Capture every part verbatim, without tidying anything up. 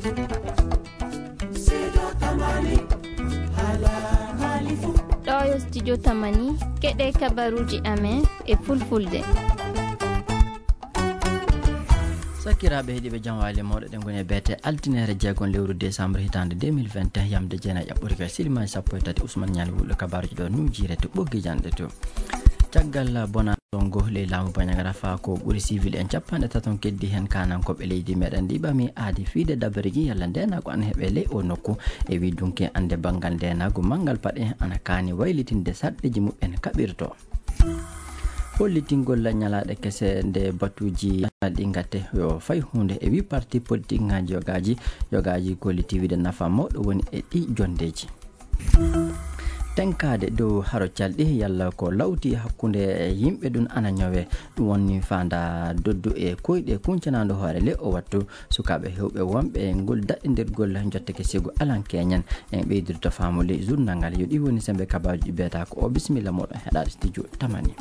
Ɗo yo studio Tamani, keɗe kabaruji amen e fulfulde. Sakiraaɓe heɗiiɓe, jam waali mawɗo, ɗen ngoni e beete altinere jeegom lewru décembre hitaande deux mille vingt et un, yamde jeenayi ɓuri ka silimaji sappo e tati, Ousmane Ñaali Wulɗo kabaruji ɗo nujire to ɓoggi janɗe to. Caggal bona Songo ley laamu Bandiagara, faa ko ɓuri civil en capanɗe taton keddi heen kaanankooɓe leydi meɗen ndi ɓami aadi fiide dabareji yalla ndeenaagu ana heɓe ley o nokku. E wi dunki ande banngal ndeenaagu manngal paɗe ana kaani waylitinde sarɗeji muɓɓen kaɓirto. Hollitingol ñalaaɗe kese nde batuji ɗi ngate yo fay huunde e wi parti politique ngaji yogaji, yogaji golliti wiide nafa mawɗo woni e ɗi jondeji. Tenkaade dow haro calɗi yalla ko lawti hakkunde yimɓe ɗum ana ñawe. Ɗum woni faanda doddu e koyɗe kuncanando hoore le o wattu. Sukaaɓe hewɓe wonɓe ngol daɗɗindirgol jotteke sigo alan keñen. En ɓeydirto faamu ley journal ngal. Yo ɗi woni sembe kabaaji ɗi beeta ko o. Bisimilla moɗon heɗaade studio Tamani.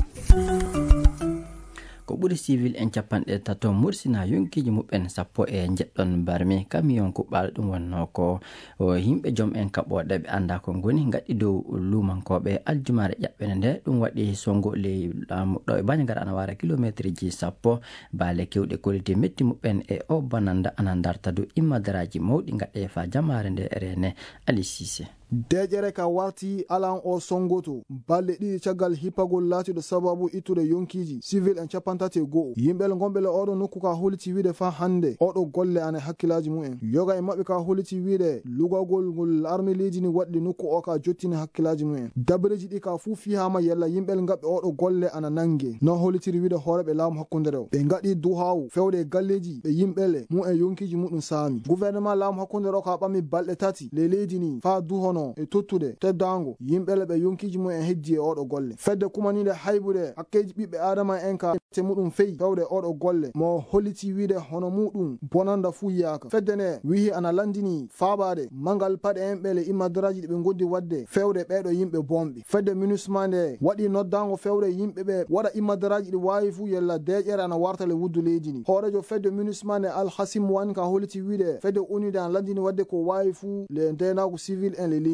Ko ɓuri civil en capanɗe tato mursina yonkiiji muɓɓen sappo e njeɗɗon barmi. Camion kuɓɓaaɗo ɗum wonnoo ko o yimɓe joom en kaɓooɗe ɓe anndaa ko ngoni ngaɗi dow luumankooɓe aljumaare ƴaɓɓende nde. Ɗum waɗi sonngo ley laamu ɗo e Bandiagara ana waara kilomeeterji sappo. Baale kewɗe kolliti metti muɓɓen e o bananda ana ndarta dow immadaraaji mawɗi ngaɗe faa jamaare nde reene. Ali Sise. Deeƴere ka warti alan o sonngoto balɗe ɗiɗi caggal hippagol laatiiɗo sababu ittude yonkiiji civil en capanɗe tati e go'o. Yimɓe gonɓe le oɗo nokku ka holliti wiide faa hannde oɗo golle ana e hakkillaaji mumen. Yoga e maɓɓe ka holliti wiide lugagol ngol arme leydi ni waɗde nokku o ka jottini hakkillaaji mumen. Dabareji ɗi ka fuu fihaama yalla yimɓe ngaɓɓe oɗo golle ana nannge. No hollitiri wiide hooreeɓe laamu hakkunde rewo. Ɓe ngaɗi duhaawu fewde e galleeji ɓe yimɓe le mumen yonkiiji muɗum saami. Gouvernement laamu hakkunde rewo ka ɓami balɗe tati le leydi ni faa duhono e tottude teddaango yimɓe le ɓe yonkiiji mumen heddi e oɗo golle. Fedde kumaniinde haybude hakkeeji ɓiɓɓe aadama en ka te muɗum feyi fewde oɗo golle mo holliti wiide hono muɗum bonanda fuu yaaka. Fedde nde wihi ana lanndini faabaade manngal paɗe en ɓe le immadaraaji ɗi ɓe ngondi waɗde fewde ɓeeɗo yimɓe bonɓe. Fedde MINUSMA nde waɗi noddaango fewde yimɓe ɓe waɗa immadaraaji ɗi waawi fuu yalla deeƴere ana warta le wuddu leydi ni. Hooreejo fedde MINUSMA nde Alhasim Wan ka holliti wiide fedde ONU nde ana lanndini waɗde ko waawi fuu le ndeenaagu civil en le leydi.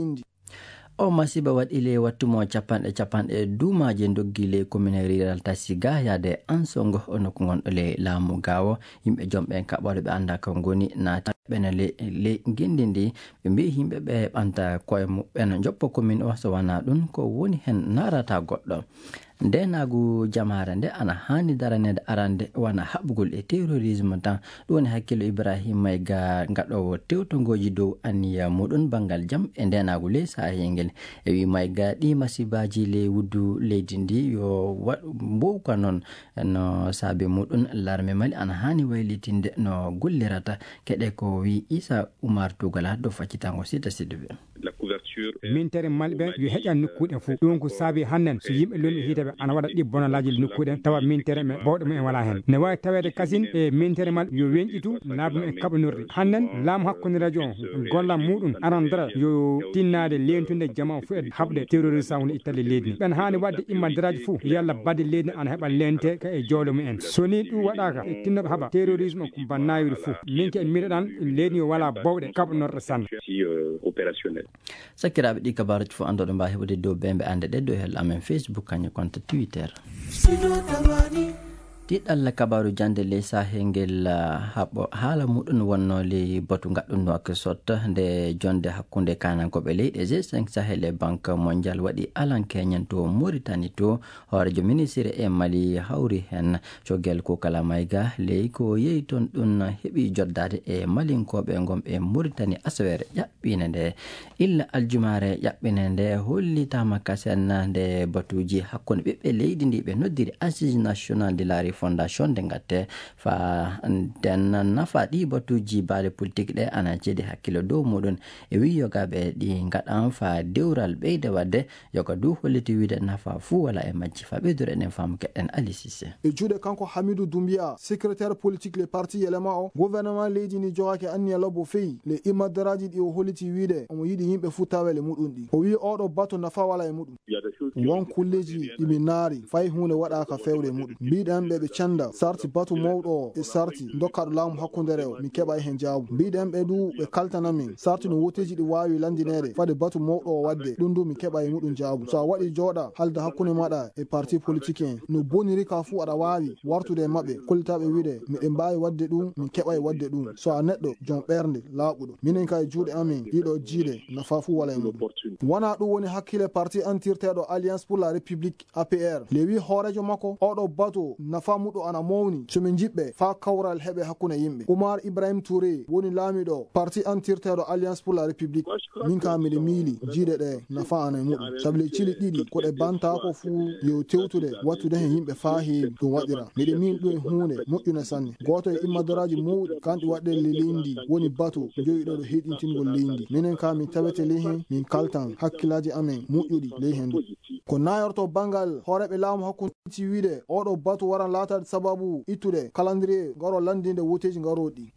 O masiba waɗi ley wattu mo capanɗe capanɗe duumaaji ndoggi ley commune rural Tasiga yaade Ansongo o nokku ngonɗo ley laamu Gaawo. Yimɓe joom ɓen kaɓɓoɗe ɓe anndaa ko ngoni naati ɓene ley, ley ngenndi ndi. Ɓe mbiyi yimɓe ɓe ɓanta koye muɓɓen njoppa commune o, so wanaa ɗum ko woni heen naarata goɗɗo. Ndeenaagu jamaare nde ana haani daraneede arande wona haɓugol e terrorisme tan. Ɗum woni hakkillo Ibrahima Mayga gaɗoowo tewtongooji dow anniya muɗum banngal jam e ndeenaagu ley saahel ngel. E wi Mayga ɗi masibaaji ley wuddu leydi ndi yo waɗ mbowka noon no saabi muɗum larme Mali ana haani waylitinde no gollirata. Keɗe ko wi Isa Umar Tugala dow faccitango Sita Sidibé. Mintere Mali ɓe yo heƴan nokkuuɗe fof. Ɗum ko saabi hannden so yimɓe lolni hiite ɓe ana waɗa ɗi bonalaaji nokkuuɗe tawa mintere men bawɗe mumen wala heen. Ne waawi taweede kasin e mintere Mali yo weñƴitu laabi mumen kaɓanirɗi. Hannden laamu hakkunde rajo o gollam muɗum arandara yo tinnaade leentude jama fof e haɓde terroriste woni ittalle leydi ndi. Ɓen haani waɗde immadaraaji fof yalla baɗde leydi ana heɓa leente ka e jawle mumen. So ni ɗum waɗaaka e tinnoɓe haɓa terrorisme ko bannayiri fof. Min ke miɗoɗan leydi o wala bawɗe kaɓanorɗe sanne. Sakiraaɓe, ɗi kabaaruuji fof anndoɗo mbaawi heɓude dow bembe annde ɗe dow hel amen Facebook kañum konto Twitter. Tiɗalla kabaaru jannde ley saahel ngel, ah, haɓo haala muɗum wonno ley batu ngaɗɗum Nouakchott nde jonde hakkunde kaanankooɓe leyɗe G cinq Sahel e Banque Mondiale waɗi alan keñen to Mauritanie to. Hooreejo ministre e Mali hawri heen. Cogel Kokala Mayga ley ko yehi toon ɗum heɓi joddaade e Malinkooɓe ngonɓe Mauritanie asaweere ƴaɓɓiinde nde. Illa aljumaare ƴaɓɓiinde nde hollitaama kasen nde batuuji hakkunde ɓiɓɓe leydi ndi ɓe noddiri Assise Nationale de la Refondation nde ngatte faa nden nafa ɗi batuuji baale politique ɗe ana ceedi hakkilo dow muɗum. E wi yogaaɓe ɗi ngaɗan faa dewral ɓeyda waɗde. Yoga du holliti wiide nafa fuu wala e majji. Faa ɓeydoro eɗen faamu keɗen Ali Cissé. E juuɗe kanko Hamidou Doumbia, secrétaire politique le parti Yelema o, gouvernement leydi ndi jogaaki anniya lobbo feyi le immadaraaji ɗi o holliti wiide omo yiɗi yimɓe fuu tawa le muɗum ɗi. O wi oɗo bato nafa wala e muɗum. Won kulleeji ɗi mi naari fay huunde waɗaaka fewde e muɗum. Mbiɗen ɓe ɓe Cenda sarti batu mawɗo o e sarti dokkaɗo laamu hakkundere o, mi keɓa e heen jaabu. Mbiɗen ɓe du ɓe kaltana min sarti no woteeji ɗi waawi lanndineede fade batu mawɗo o waɗde, ɗum du mi keɓa e muɗum jaabu. So a waɗi jooɗa halda hakkunde maɗa e parti politique en, no boniri ka fuu aɗa waawi wartude e maɓɓe, kollita ɓe wiide miɗen mbaawi waɗde ɗum, mi keɓa e waɗde ɗum. So a neɗɗo jom ɓernde laaɓuɗo, minen ka e juuɗe amen ɗiɗo jiiɗe nafa fuu wala e muɗum. Wona ɗum woni hakkille parti antirteeɗo Alliance pour la République, A P R. Le wi hooreejo makko, oɗo batu nafa muɗo ana mawni. So min jiɓɓe faa kawral heɓe hakkunde yimɓe. Oumar Ibrahim Touré woni laamiɗo parti antirteeɗo Alliance pour la République. Min ka miɗo miili jiiɗe ɗe nafa ana e muɗum. Sabu le cili ɗiɗi ko ɗe bantaako fuu yo tewtude wattude heen yimɓe faa heewi ɗum waɗira. Miɗo miili ɗum e huunde moƴƴunde sanne. Gooto e immadoraaji mawɗi kanɗi waɗɗe le leydi woni batu jowiɗo ɗo heyɗintingol leydi. Minen ka min tawete ley heen, min kaltan hakkillaaji amen moƴƴuɗi ley heen. Ko nayorto banngal hooreeɓe laamu hakkunde ci wiide oɗo batu waran laataade sababu ittude calendrier ngaro lanndinde woteeji ngarooɗi.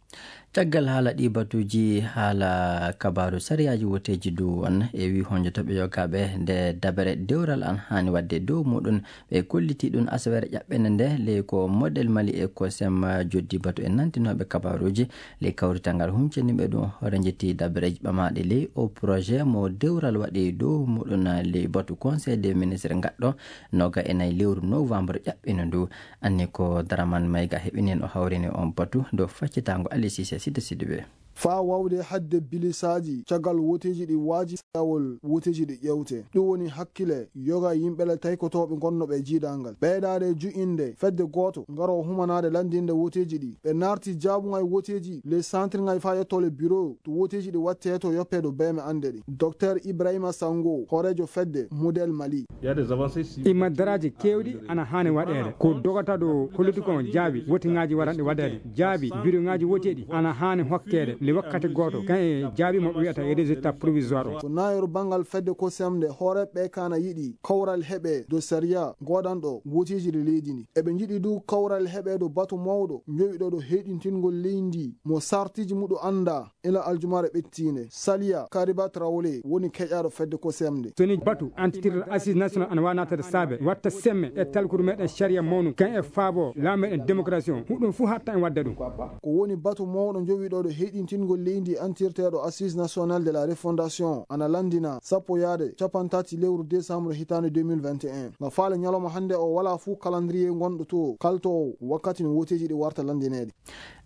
Caggal haala ɗi batuuji, haala kabaaru sariyaaji woteeji du on e wi honjotoɓe yogaaɓe nde dabere dewral an haani waɗde dow muɗum. Ɓe kolliti ɗum asaweere ƴaɓɓende nde ley ko model Mali e ko sem joddi batu e nantinooɓe kabaaruuji. Ley kawrital ngal huncini ɓe ɗum hoore njetti dabareeji ɓamaaɗi ley o projet mo dewral waɗi dow muɗum ley batu conseil des ministres ngaɗɗo noga e nayi lewru novembre ƴaɓɓino ndu. Anni ko Daraman Mayga heɓini en o hawrini on batu dow faccitaango Ali Cissé Sidi Sidibe. Faa wawde hadde bilisaaji caggal woteeji ɗi waaji lawol woteeji ɗi ƴewte. Ɗum woni hakkile yoga yimɓe le taykotooɓe gonnooɓe e jiidangal. Ɓeydaade ju'inde fedde gooto ngaro humanaade lanndinde woteeji ɗi. Ɓe naarti jaabuŋay woteeji le santirŋay faa yetto le bureau to woteeji ɗi wattee to yoppee ɗo beeme annde ɗi. Docteur Ibrahima Sango, hooreejo fedde Model Mali. Ima daraaji keewɗi ana haani waɗeede. Ko dogata ɗo hollude ko jaabi wotiŋaaji waranɗi waɗeede. Jaabi biroŋaaji woteeɗi ana haani hokkeede le wakkati gooto. Kan e jaabi mo ɓe wiyata e résultat provisoire o. Ko naayooru banngal fedde ko semde hooreeɓe kana yiɗi kawral heɓe do sariya goodanɗo woteeji ɗi leydi ndi. Eɓe njiɗi du kawral heɓe do batu mawɗo njowiɗo do heyɗintingol leydi mo sartiji muɗo annda. Ila aljumaare ɓettiinde, Saliya Kariba Traoré woni keƴaaɗo fedde ko semde. So ni batu antitirɗo Assise National ana waawi naatade saabe, watta semme e talkuru meɗen sariya mawnu, kan e faabo laamu meɗen démocratie on, huɗum fuu hatta en wadda ɗum. Ko woni batu mawɗo jowiɗo ɗo heyɗintingol leydi antirteeɗo Assise National de la Refondation ana lanndina sappo yaade capanɗe tati lewru décembre hitaande deux mille vingt et un. Nga faale ñalawma hannde o wala fuu calendrier ngonɗo to kaltoowo wakkati no woteeji ɗi warta lanndineede.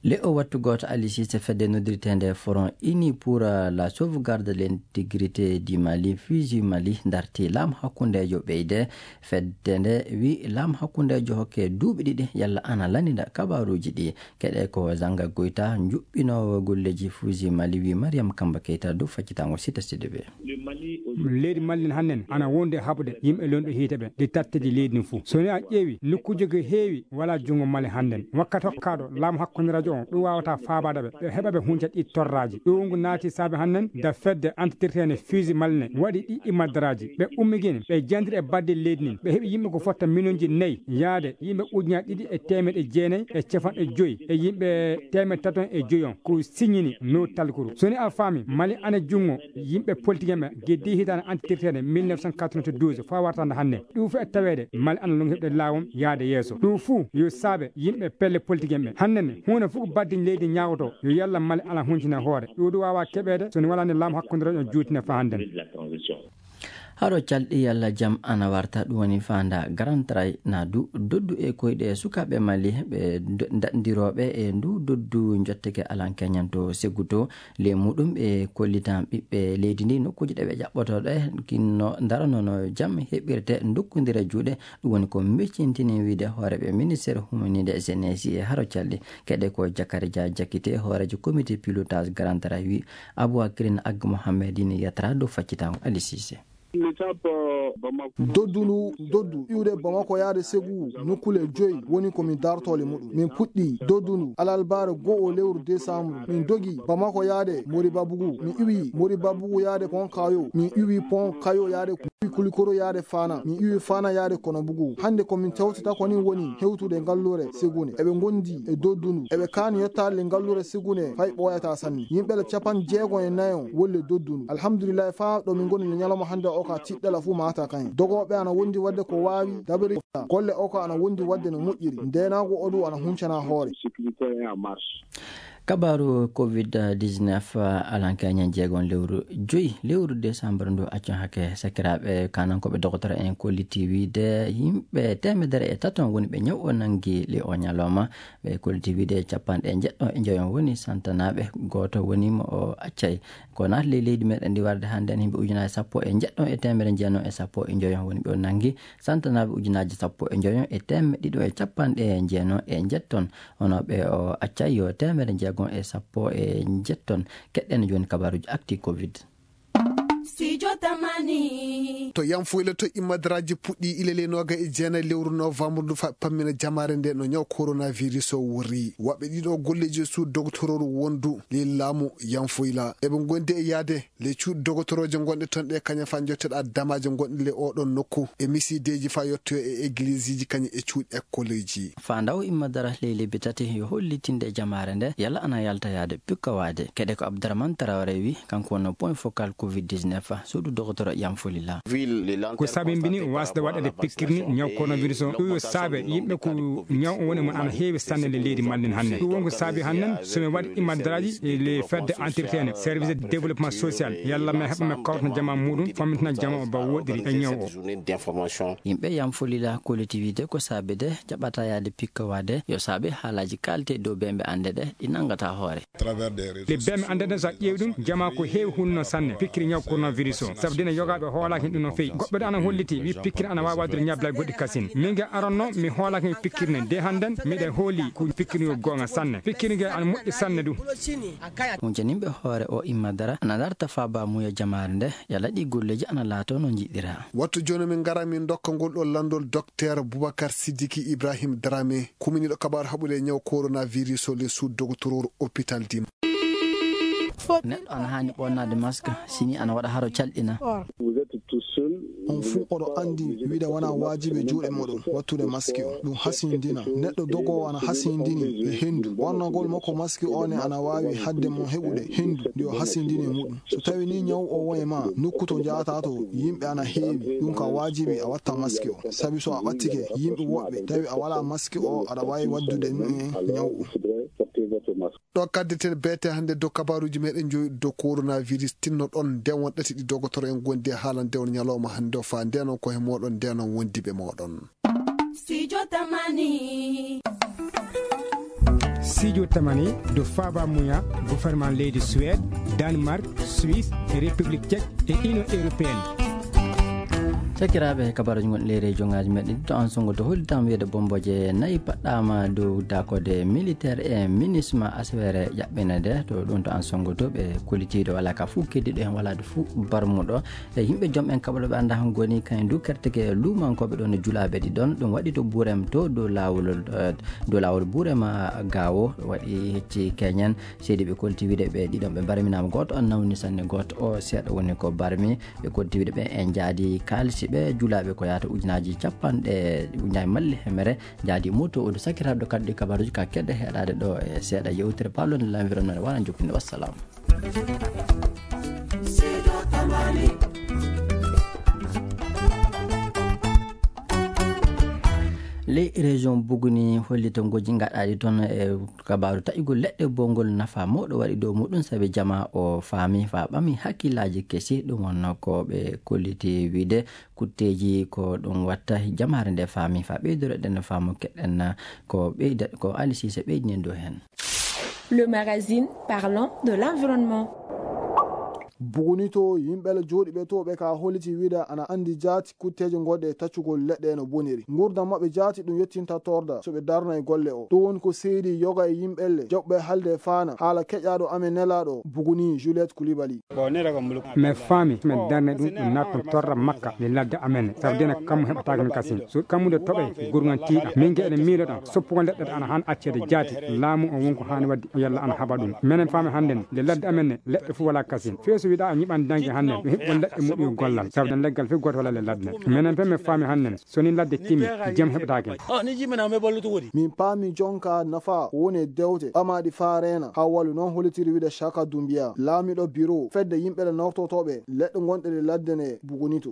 Le o wattu gooto Ali Cissé fedde noddirteende Front Uni pour la sauvegarde de l'intégrité du Mali, Fusi Mali, darti laamu hakkundeejo ɓeyde. Fedde nde wi laamu hakkundeejo hokke duuɓi ɗiɗi yalla ana lanndida kabaaruuji ɗi. Keɗe ko Zanga Goita, njuɓɓinoowo golleeji Fusi Mali, wi Mariam Kamba Keita dow faccitaango Sita Sidibe. Leydi Mali hannden ana wondi e haɓude yimɓe lonɗo hiite ɓe, ɗi tatteji leydi ndin fuu. So ni a ƴeewi nokkuuji ko heewi wala junngo Mali hannden. Wakkati hokkaaɗo laamu hakkundeejo on, ɗum waawata faabaade ɓe, ɓe heɓa ɓe hunca ɗi torraaji. Ɗum ngu naati saabe hannden da fedde antitirteende Fusi Mali ne waɗi ɗi imadaraaji. Ɓe ummigini, ɓe jandiri e badde leydi ndin. Ɓe heɓi yimɓe ko fotta miliyonji nayi yaade yimɓe ujunaaji ɗiɗi e teemeɗɗe jeenayi e capanɗe joyi e yimɓe teemeɗɗe tati e joyi on ko signini no talkuru. So ni a faami, Mali ana junngo yimɓe politique en ɓe geddi hitaande antitirteende mille neuf cent quatre-vingt-douze faa wartande hannde. Ɗum fof e taweede Mali ana longi heɓde laawol yaade yeeso. Ɗum fuu yo saabe yimɓe pelle politique en ɓe. Hannde ne, huunde fof ko baddiñ leydi ñaagoto, yo yalla Mali ala huncine hoore. Ɗum ɗo waawaa keɓeede so ne walaa nde laamu hakkundeejo on juutine faa hannde ne. Haro calɗi yalla jam ana warta, ɗum woni faanda Grand Tray na du doddu e koyɗe sukaaɓe Mali ɓe do-, daɗndirooɓe e ndu doddu njotteke alan keñan to Seguto. Le muɗum ɓe kollitan ɓiɓɓe leydi ndi nokkuuji ɗe ɓe ƴaɓɓotooɗe kinno daranono jam heɓirte ndokkondira juuɗe. Ɗum woni ko mbeccintini wiide hooreeɓe ministeer humaniiɗe S N S I e haro calɗi. Keɗe ko Jakari Dia Jakite, hooreejo comité pilotage Grand Tray wi Aboubacrine Ag Mohamed ina yatra dow faccitango Ali Cissé. Doddu ndu, doddu iwde Bamako yaade Ségou, nokkule joyi woni ko min dartoole muɗum. Min puɗɗi doddu ndu alarbaare goo lewru décembre. Min dogi Bamako yaade Moribabugu. Min iwi Moribabugu yaade Pont Caillou. Min iwi Pont Caillou yaade Kulikoro yaade Fana. Min iwi Fana yaade Konobugu. Hannde ko min tawtata ko ni woni hewtude ngalluure Ségou ne. Eɓe ngondi e doddu ndu. Eɓe kaani yettaade le ngalluure Ségou ne fay ɓooyataa sanne. Yimɓe le capanɗe jeego e nayo wolle doddu ndu. Alhamdulillahi, faa ɗo min ngoni le ñalawma hannde o ka tiɗɗala fuu maata. Kan dogooɓe ana wondi waɗde ko waawi, dabere golle o ko ana wondi waɗde no moƴƴiri, ndeenaagu o du ana huncana hoore. Kabaaru covid dix-neuf, alanka ñan jeegon lewru joyi, lewru décembre ndu accon hake sakiraaɓe kanankooɓe dogotoro en kolliti wiide yimɓe teemedere e taton woni ɓe ñaw o nangi le o ñalawma. Ɓe kolliti wiide capanɗe njeɗɗo e njoyon woni santanaaɓe, gooto woni mo o accay. Ko naati ley leydi meɗen ndi warde hannde en, yimɓe ujunaaji sappo e njeɗɗo e teemedere jeenayo e sappo e njoyon woni ɓe o nangi. Santanaaɓe ujunaaji sappo e njoyon e teemedde ɗiɗo e capanɗe jeenayo e njeɗɗon. Hono ɓe o accay yo teemedere jeegon e sappo e njeɗɗon. Keɗɗen jooni kabaaruuji actu covid. Studio Tamani. To Yanfoyla to immadaraaji puɗɗi ilele nooga e jeenayi lewru novembre ndu fa pammina jamaare nde no ñaw coronavirus o wori. Waɓɓe ɗiɗo golleeji e suudu dogotororu wondu ley laamu Yanfoyla. Eɓe ngondi e yaade le cuuɗi dogotoroje gonɗe ton ɗe kaña fa jotteɗa damaje gonɗe le oɗon nokku e misideji fa yottoyo e egliseji kañum e cuuɗi ekkoleji. Fa ndaw immadara ley lebbi tati yo hollitinde jamaare nde yalla ana yalta yaade pikkawaade. Keɗe ko Abdourahmane Traoré wi, kanko wonno point focal covid dix-neuf, suudu dogotoro Yanfolila. Ko sabimbini wasde waɗede pikkirni ñaw coronavirus o. Ɗum yo saabe yimɓe ko ñaw o woni mon ana heewi sanne le leydi mallen hannde. Ɗum wonko saabi hannden so mi waɗi immadaraaji e le fedde entretien service de développement social yalla mi heɓa mi kawtana jama muɗum fammintina jama o ba woɗɗiri e ñaw o. Yimɓe Yanfolila collectivité ko saabe de jaɓata yaade pikkawaade yo saabe haalaaji kaalte dow bemɓe annde ɗe ɗi nanngata hoore. Le bemɓe annde ɗen so a ƴeewi ɗum jama ko heewi hunno sanne pikkiri ñaw coronavirus o sabu dina yogaaɓe hoolaaki ɗum no feewi. Goɗɗo de ana holliti wi pikkiri ana waawi waɗude ñablal goɗɗi kasin. Min ge aranno mi hoolaaki mi pikkiri ne de hannden miɗe hooli ko pikkiri yo goonga sanne. Pikkiri ge ana moƴƴi sanne ɗum. Huncaninɓe hoore o imma dara ana darta faaba muya jamaare nde yalla ɗi golleeji ana laato no njiɗira. Wattu jooni min ngara min ndokka ngol ɗo lanndol Docteur Boubacar Sidiki Ibrahim Dramé, kuminiiɗo kabaru haɓude e ñaw coronavirus o le suudu dogotororu hôpital Dima. Neɗɗo ana haani ɓonnaade masque sini ana waɗa haro calɗina. On fuu oɗo anndi wiide wona waajibi e juuɗe moɗon wattude maski o. Ɗum hasindina. Neɗɗo dogoowo ana hasindini e henndu. Ɓornagol makko maski o ne ana waawi haɗde mo heɓude henndu ndi o hasindini e muɗum. So tawi ni ñaw o won e ma nokku to njahata to yimɓe ana heewi, ɗum ka waajibi a watta maski o. Sabi so a ɓattike yimɓe woɓɓe tawi a wala maski o aɗa waawi waddude ɗum e ñaw o. Ɗo kaddeten beete hannde dow kabaruuji meɗen joyi dow coronavirus tinno ɗon nde won ɗati ɗi dogotoro en gondi e haalande on ñalawma hannde o fa ndenon ko he moɗon ndenon wondiɓe moɗon. Studio Tamani. Studio Tamani do faaba muya gouvernement leydi Suède, Danemark, Suisse e République Tchèque e Union Européenne. Sakiraaɓe kabaruuji gonɗi leyre jongaaji meɗen to an songo to hollitam wiyeede bomboje nayi paɗɗama dow dakode militaire e minisma aswere ƴaɓɓinede to ɗum to an songo to ɓe kollitiiɗo wala ka fuu keddiɗo hen wala ɗo fuu barmuɗo. E yimɓe joom en kaɓa ɗo ɓe annda han goni kañum du kerteke luumankooɓe ɗon e julaaɓe ɗi ɗon ɗum waɗi to burem to dow laawol, eh, dow laawol burem, ah, gaawo waɗi hecci keñen. Seydi ɓe kolti wiide ɓe ɗiɗon ɓe barminaama gooto on nawni sanne gooto o seeɗa woni ko barmi. Ɓe kolti wiide ɓe en jaadi kaalisi ɓe julaaɓe ko yahata ujunaaji capanɗe ujunaaji malle hemere jaadi moto o du sakiraaɓe ɗo kaddu kabaruuji ka keɗɗe heɗaade ɗo e seeɗa yewtere pawlonde l'environnement wona jokkinde wassalam. Ley région Buguni hollito ngoji gaɗaɗi toon e kabaaru taƴugol leɗɗe bongol nafa mawɗo waɗi dow muɗum sabi jama o faami fa ɓami hakkillaaji kesi ɗum wonno ko ɓe kolliti wiide kutteeji ko ɗum watta jamaare nde faami fa ɓeydoro ɗen faamu keɗen ko ɓeyda ko Ali Cissé ɓeydinen dow heen. Le magazine parlant de l'environnement. Buguni to yimɓe la jooɗiɓe to ɓe ka holliti wiida ana andi jaati kutteeje goɗɗe e taccugol leɗɗe no boniri ngurdam maɓɓe jaati ɗum yettinta torda so ɓe darna e golle o ɗum woni ko seydi yoga e yimɓelle joɓɓe halde e faana haala keƴaɗo amen nelaɗo Buguni Juliette Koulibaly. Mi faami mi darna ɗum ɗum natton torra makka le ladde amen ne sabu dena kammu heɓataake mi kasin so kammude toɓe gurgan tiiɗa min ge eɗen miiloɗa soppugol leɗɗe ana han accede jaati laamu o wonko haani wadde o yalla ana haɓa ɗum menen faami hannden nde ladde amen ne leɗɗe fof wala kasin feeso. Wiɗa a ñiɓan dangi hannen, mi hiɓɓon leɗɗe muɗum gollal. Sabu dan leggal fe goto wala le ladde. Menen fe mi faami hannen, so ni ladde timmi, jam heɓataake. Min paami jonka nafa woni e dewte ɓamaaɗi faa reena. Haa walu noon holitiri wiide Shaka Dumbiya, laamiɗo biro fedde yimɓe ɗe nawtotooɓe leɗɗe gonɗe ɗe ladde nde bugunito.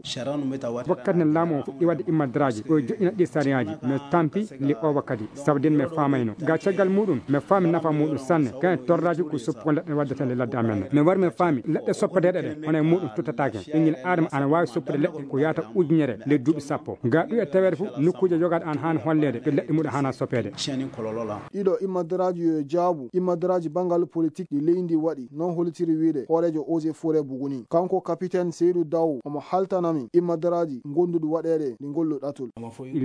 Wakkati nen laamu o fuɗɗi waɗde immadraaji, o joƴƴina ɗi sariyaaji, mi tampi li o wakkati, sabu den mi faamayno. Ga caggal muɗum, mi faami nafa muɗum sanne, kayen torraaji ko soppugol leɗɗe waddata le ladde amen. Mi wari mi faami, leɗɗe soppeteeɗe ɗe, hono e muɗum tuttataake. Ɓinngel Aadama ana waawi soppude leɗɗe ko yaata ujunere ley duuɓi sappo. Ga ɗum e taweede fof, nokkuuje yogaaɗe ana haani holleede, ɓe leɗɗe muɗum haana soppeede. Ɗiɗo immadraaji yo e jaabu, immadraaji banngal politik ɗi leydi ndi waɗi, noon holitiri wiide hooreejo Eaux et Forêts Buguni. Kanko kapiten Seydou Daw, omo haltana min immadraaji gonduɗi waɗeede ɗi ngollu ɗatul.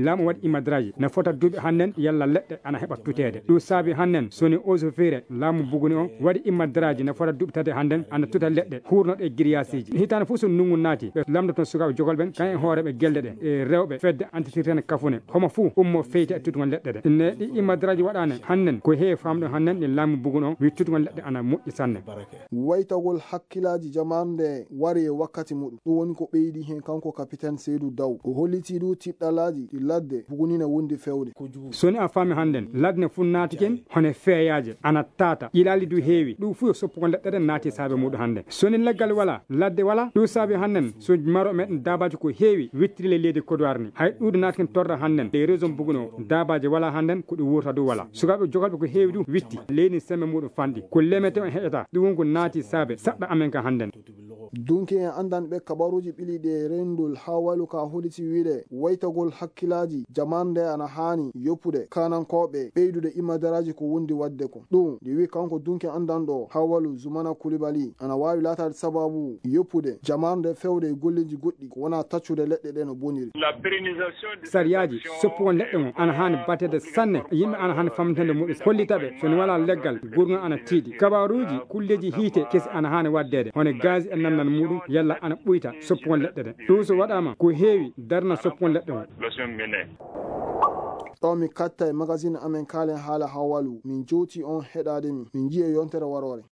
Laamu waɗi immadraaji, na fota duuɓi hannden yalla leɗɗe ana heɓa tuteede. Ɗum saabi hannden, so ni Eaux et Forêts, laamu Buguni o, waɗi immadraaji na fota duuɓi tati hannden, ana tuta leɗɗe, huurnoɗe e giriyasiiji. Hitaande fof so ndunngu naati, ɓe lamndoto sukaaɓe jogol ɓen, kayen e hooreeɓe gelle ɗe, e rewɓe, fedde antitirten kafune. Homo fof ummo feyti e tutugol leɗɗe ɗe. Ne ɗi immadraaji waɗaane hannden, ko heewi faamɗo hannden, ɗi laamu Buguni o, wi tutugol leɗɗe ana moƴƴi sanne. Waytagol hakkilaaji jamaanu nde wari e wakkati muɗum. Ɗum woni ko ɓeydi heen kanko kapiten Seydou Daw. O hollitii ɗum tiɗɗalaaji ɗi ladde Buguni ne wondi fewde. So ni a faami hannden, ladde ne fof naati ken, hono feeyaaje, ana taata, ƴilaali du heewi. Ɗum fof yo soppugol leɗɗe ɗen naati saabe muɗum hannden. So ni leggal wala, ladde wala, ɗum saabi hannden, so maro meɗen daabaaji ko heewi, wittiri le leydi Kodowar ni. Hay ɗuuɗi naati ken torra hannden, e région Buguni o, daabaaji wala hannden, ko ɗi wuurta du wala. Sukaaɓe jogolɓe ko heewi du witti, leydi sembe muɗum fanɗi. Ko lemete on heƴata, ɗum won ko naati saabe, saɗɗa amen ka hannden. Dunki en anndanɓe kabaruuji ɓiliiɗi e renndol haa walu ka holiti wiide waytagol hakkilaaji jamaanu nde ana haani yoppude kaanankooɓe ɓeydude imadaraaji ko wondi waɗde ko. Ɗum, ɗi wi kanko dunki anndanɗo haa walu Zumana Kulibali, ana waawi laataade sababu yoppude jamaanu nde fewde e golleeji goɗɗi ko wona taccude leɗɗe ɗe no boniri. Sariyaaji soppugol leɗɗe on ana haani bateede sanne. Yimɓe ana haani famtande muɗum. Hollita ɓe, so ni wala leggal, gurŋal ana tiiɗi. Kabaruuji kulleeji hiite kesi ana haani waɗdeede, hono gaz e nannal muɗum, yalla ana ɓuyta soppugol leɗɗe ɗe. Ɗum so waɗaama, ko heewi darna soppugol leɗɗe on. Ɗo mi katta e magazine amen kaalen haala hawalu, min jowti on heɗaade mi, min njiya yontere waroore.